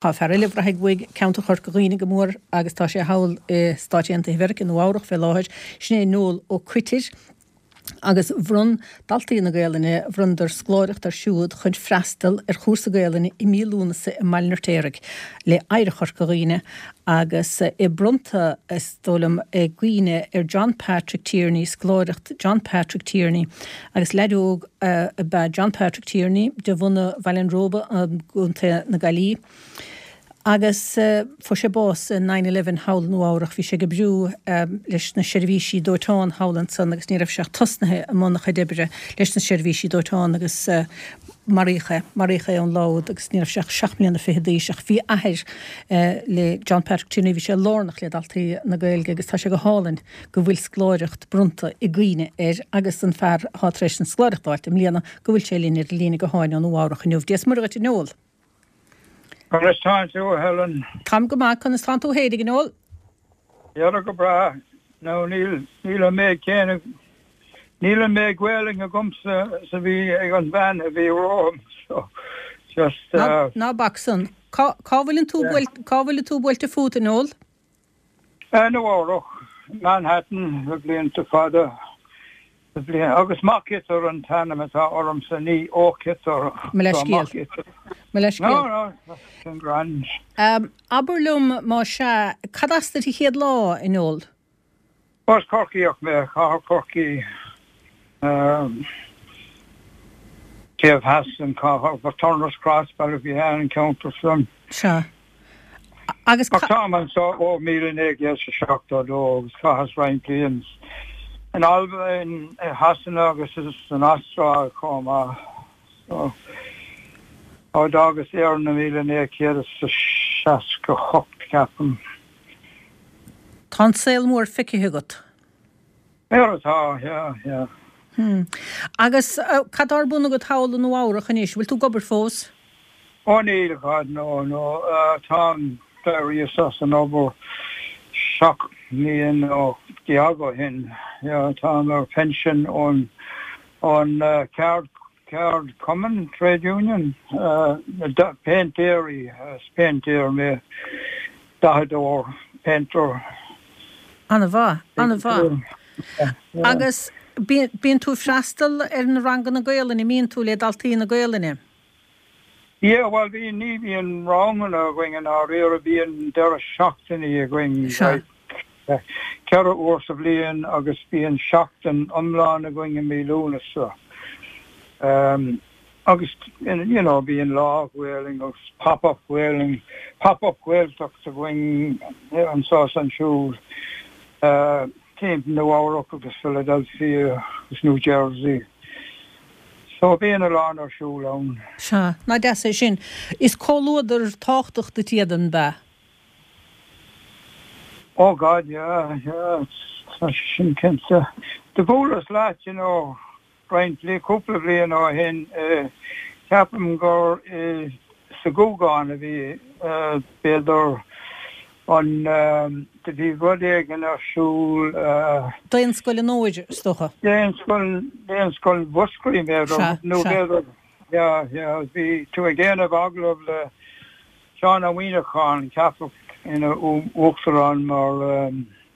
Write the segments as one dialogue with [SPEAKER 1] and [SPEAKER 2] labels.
[SPEAKER 1] Tá fear eile a bhraithfidh uaidh ceantar Chorca Dhuibhne go mór agus tá sé thall i Stáit Aontaithe Mheiriceá, Nua Eabhrach fé láthair, sin é Noel Ó Coitir. Agus bhronn daltaí na Gaelainne, bhronnadar scoláireacht air siúd chun freastal ar chúrsa Gaelainne i mí Lúnasa i mBaile an Fheirtéaraigh le Oidhreacht Chorca Dhuibhne agus é bronnta, is dóigh liom, i gcuimhne ar John Patrick Tierney, scoláireacht John Patrick Tierney agus leaid óg ab ea John Patrick Tierney de bhunadh Bhaile an Róba i gContae na Gaillimhe agus fuair sé bás i nine eleven thall i Nua Eabhrach. Bhí sé ag oibriú leis na seirbhísí dóiteáin thall ansan agus ní raibh sé ach tosnaithe i mbun a chuid oibre leis na seirbhísí dóiteáin agus maraíodh é. Maraíodh é an lá úd agus ní raibh sé ach seacht mbliana fichead d'aois ach bhí athair le John Patrick Tierney, bhí sé lárnach le Daltaí na Gaeilge agus tá sé go hálainn go bhfuil scoláireacht bronnta i gcuimhne air agus an fear atá tar éis an scoláireacht a fháilt i mbliana go bhfuil sé linn ar an líne gutháin ó Nua Eabhrach inniu. Dia is Muire dhuit a Noel.
[SPEAKER 2] Conas tánn tú, a Helen?
[SPEAKER 1] Táim go maith, conas tánn tú fhéinig, a Noel?
[SPEAKER 2] Dhera go breá. Nó níl, níl an méid céanna, níl an méid Gaelainn agamsa is a bhí ag an bhean a bhí romham, so
[SPEAKER 1] just uh. Ná bac san. Cá, cá bhfuileann tú buailte, cá bhfuileann tú buailte fút, a Noel?
[SPEAKER 2] Nua Eabhrach, Manhattan, le blianta fada, le blianta, agus Mac Ithir an t-ainm atá ormsa, ní Ó Coitir,
[SPEAKER 1] Mo leithscéal. Mo leithscéal.
[SPEAKER 2] No, no, sin grand.
[SPEAKER 1] Abair liom, más ea, cad as duit an chéad lá, a Noel?
[SPEAKER 2] As Corcaíoch mé, Cathair Chorcaí, taobh theas den chathair, Turner's Cross, Ballyphehane, an ceantar
[SPEAKER 1] san. Sea. Agus
[SPEAKER 2] Ach táim anseo ó 1972 agus chaitheas roinnt bliain in Albain, i Shasana agus san Astráil chomh maith. So, ó d'fhágas Éirinn i 1968, ceapaim.
[SPEAKER 1] Tá an saol mór feicthe agat.
[SPEAKER 2] Mar atá, yeah, yeah.
[SPEAKER 1] Hmm. Agus cad tá ar bun agat thall i Nua Eabhrach anois? Bhfuil tú ag obair fós?
[SPEAKER 2] Ó níl, God, no, no. Táim, d'éiríos as an obair seacht mbliana ó shin. Yeah, táim ar phension ón, ón ceard, Ceardchumann, Trade Union, na péintéirí, is péintéir mé, dathadóir, painter.
[SPEAKER 1] An-mhaith, an-mhaith. Agus bíonn tú ag freastal ar na ranganna Gaolainne, an mbíonn tú le daltaí na Gaolainne?
[SPEAKER 2] Yeah, bhuel bíonn, ní bhíonn ranganna againn i ndáiríre, bíonn deireadh seachtainí againn, like, 4 uair sa bhliain agus bíonn seachtain iomlán againn i mí Lúnasa. Um, agus, you know, bíonn lá Gaelainn agus pop-up Gaelainn, pop-up Gaeltacht againn anseo is ansiúd, uh, timpeall Nua Eabhrac agus Philadelphia agus New Jersey. So bíonn a lán ar siúl ann.
[SPEAKER 1] Sea, nach deas é sin. Is comhluadar tábhachtach duit iad, an b'ea?
[SPEAKER 2] Oh God, yeah, yeah, tá sé sin cinnte. Do bhuaileas leat, you know, roinnt bli-, cúpla bliain ó shin, ceapaim gur i, sa Ghúgán a bhí, b'fhéidir an, do bhí rud éigin ar siúl.
[SPEAKER 1] Daonscoil an Fhómhair, is dócha.
[SPEAKER 2] Daonscoil, Daonscoil Mhúscraí, b'fhéidir, nó b'fhéidir, yeah, yeah, bhí tú ag déanamh agallamh le Seán Ó Muíneacháin, ceapadh ina uachtarán mar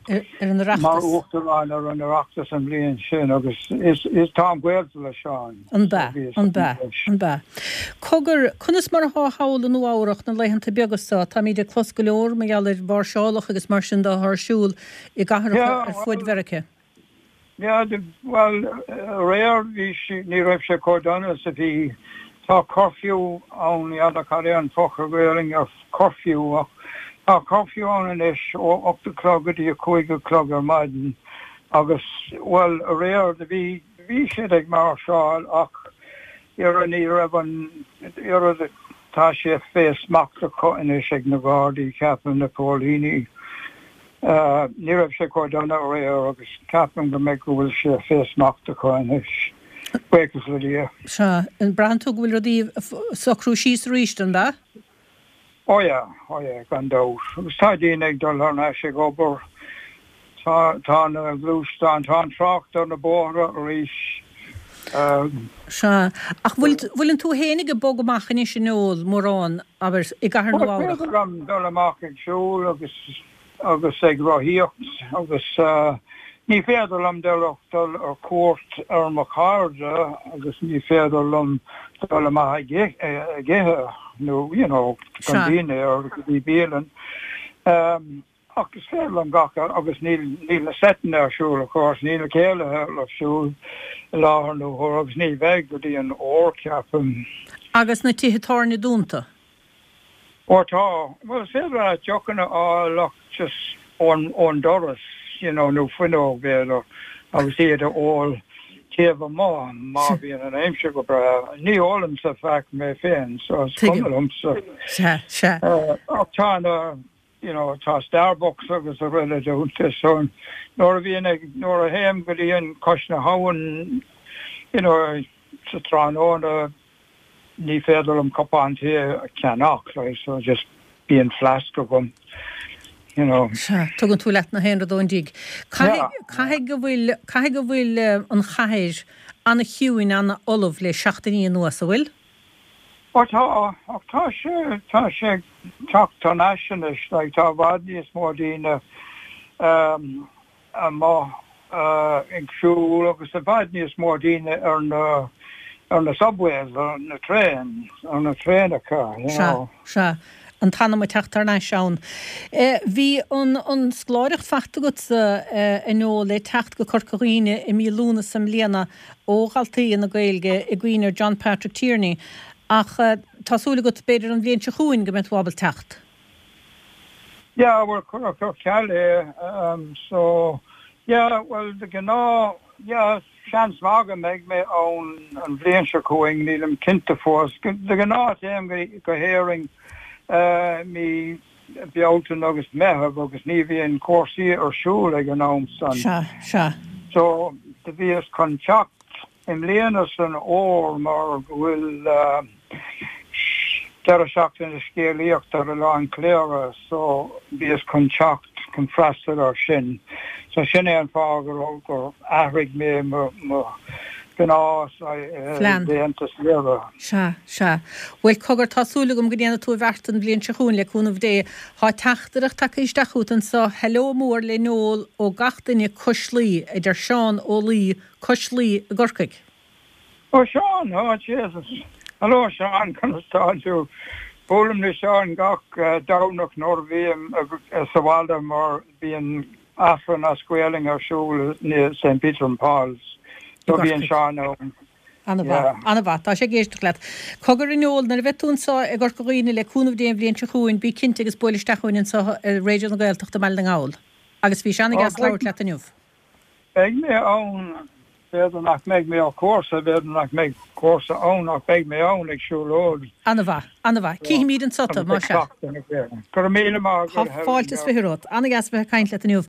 [SPEAKER 1] Ar an
[SPEAKER 2] Oireachtas. Mar uachtarán ar an Oireachtas an bhliain sin agus is is táim gaolta le Seán.
[SPEAKER 1] An b'ea? An b'ea? An b'ea? Cogar, conas mar atá thall i Nua Eabhrach na laethanta beaga so? Táimíd ag clos go leor mar gheall ar mháirseálacha agus mar sin de atá ar siúl i gcathracha ar fuaid Mheiriceá.
[SPEAKER 2] Yeah, bhuel, aréir bhí sé, ní raibh sé chomh dona is a bhí. Tá curfew ann, n'fheadar cad é an focal Gaelainn ar curfew ach tá curfew ann anois ó 8 a chlog go dtí 5 a chlog ar maidin agus, bhuel, aréir do bhí, bhí siad ag máirseáil ach oiread ní raibh an oiread, tá sé fé smacht acu anois ag na Gardaí, ceapaim, na póilíní. Ní raibh sé chomh dona aréir agus ceapaim go mbeidh go bhfuil sé fé smacht acu anois. Buíochas le Dia.
[SPEAKER 1] Sea. An braitheann tú go bhfuil rudaí ag socrú síos arís, an b'ea?
[SPEAKER 2] Oh yeah, oh yeah, gan dabht. Agus tá daoine ag dul thar n-ais ag obair. Tá, tá na gluaisteáin, tá an trácht ar na bóithre arís.
[SPEAKER 1] Sea. Ach bhfuil, bhfuileann tú fhéinig ag bogadh amach anois a Noel, mórán, abair, i gcathair
[SPEAKER 2] Nua Eabhrac? Is féidir liom dul amach ag siúl agus, agus ag rothaíocht agus ní féidir liom dul ach dul ar cuairt ar mo chairde agus ní féidir liom dul amach ag ithe nó, you know, don dinnéar go dtí bialann. Ach is féidir liom gach, agus níl, níl na seiteanna ar siúl, of course, níl na céilithe ar siúl i láthair na huaire agus ní bheidh go dtí an fhómhar, ceapaim.
[SPEAKER 1] Agus na tithe tábhairne dúnta?
[SPEAKER 2] Ó tá. Bhuel, is féidir leat deochanna a fháil ach just ón, ón doras, you know, nó fuinneog, b'fhéidir, agus iad a ól taobh amuigh má bhíonn an aimsir go breá. Ní ólaimse faic mé féin, so is cuma liomsa.
[SPEAKER 1] Sea, sea.
[SPEAKER 2] Ach tá na, you know tá Starbucks agus araile dúnta so nuair a bhíonn ag, nuair a théim go dtí an cois na habhann you know sa tráthnóna ní féidir liom cupán tae a cheannach like so just bíonn flask agam you know.
[SPEAKER 1] Sea, tugann tú leat na haon rud ón dtigh. Caithfidh, caithfidh go bhfuil, caithfidh go bhfuil an chathair ana-chiúin, ana-fholamh le seachtainí anuas, an bhfuil?
[SPEAKER 2] Ó tá, ach tá sé, tá sé ag teacht thar n-ais anois, like tá i bhfad níos mó daoine amuigh ag siúl agus i bhfad níos mó daoine ar na, ar na subways, ar na trains, ar na traenacha, you
[SPEAKER 1] know. Sea, sea. An t-anam ag teacht thar n-ais ann. Bhí an, an scoláireacht faighte agatsa, a Noel, le teacht go Corca Dhuibhne i mí Lúnasa i mbliana. ó dhaltaí na Gaeilge i gcuimhne ar John Patrick Tierney ach tá súil agat b'fhéidir an bhliain seo chugainn go mbeidh tú ábalta teacht.
[SPEAKER 2] Yeah, bhuel cuireadh ar ceal é so yeah, bhuel de ghnáth yeah, seans maith go mbeidh mé ann an bhliain seo chugainn, nílim cinnte fós. De ghnáth téim go hÉirinn mí Bealtaine agus Meitheamh agus ní bhíonn cúrsaí ar siúl ag an am san.
[SPEAKER 1] Sea, sea.
[SPEAKER 2] So, do bhíos chun teacht i mbliana san fhómhar mar go bhfuil deireadh seachtaine scéalaíochta ar Oileán Chléire so bhíos chun teacht chun freastal ar sin. So sin é an fáth go raibh, gur athraigh mé mo, mo ghnás laethanta saoire.
[SPEAKER 1] Sea, sea. Bhuel, cogar, tá súil agam go ndéanfaidh tú an bheart an bhliain seo chugainn, le cúnamh Dé. Tá teachtaireacht tagtha isteach chugat anso, Hello mór le Noel ó gach duine cois Laoi, a deir Seán Ó Laoi, cois Laoi i gCorcaigh.
[SPEAKER 2] Ó Seán, oh Jesus. Hello Seán, conas tá tú? Buailim le Seán gach Domhnach nuair a bhím sa bhaile mar bíonn Aifreann as Gaolainn ar siúl i St Peter and Paul's so bíonn Seán ann.
[SPEAKER 1] An-mhaith, an-mhaith. Tá sé ag éisteacht leat. Cogar a Noel, nuair a bheidh tú anso i gCorca Dhuibhne le cúnamh Dé an bhliain seo chugainn, bí cinnte agus buail isteach chugainn anso i Raidió na Gaeltachta i mBaile na nGall. Agus bhí sé an-deas labhairt leat inniu.
[SPEAKER 2] Beidh mé ann, b'fhéidir nach mbeidh mé ar cúrsa, b'fhéidir nach mbeidh cúrsa ann ach beidh mé ann ag siúlóid.
[SPEAKER 1] An-mhaith, an-mhaith. Cífimid anso tú, más ea.
[SPEAKER 2] Go raibh míle maith
[SPEAKER 1] agat. Tá fáilte is 20 romhat. An-dheas a bheith ag caint leat inniu.